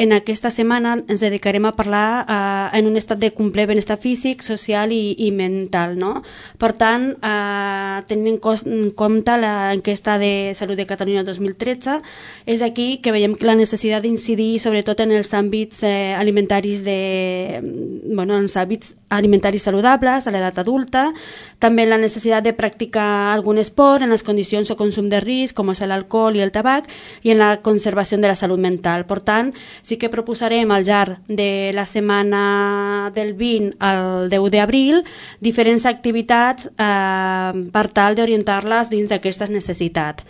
en aquesta setmana ens dedicarem a parlar en un estat de complet benestar físic, social i mental, no? Per tant, tenint en compte l'enquesta de Salut de Catalunya 2013, és d'aquí que veiem la necessitat d'incidir sobretot en els àmbits alimentaris els hàbits alimentaris saludables a l'edat adulta, també la necessitat de practicar algun esport en les condicions o consum de risc, com és l'alcohol i el tabac, i en la conservació de la salut mental. Per tant, sí que proposarem al llarg de la setmana del 20 al 10 d'abril diferents activitats per tal d'orientar-les dins d'aquestes necessitats.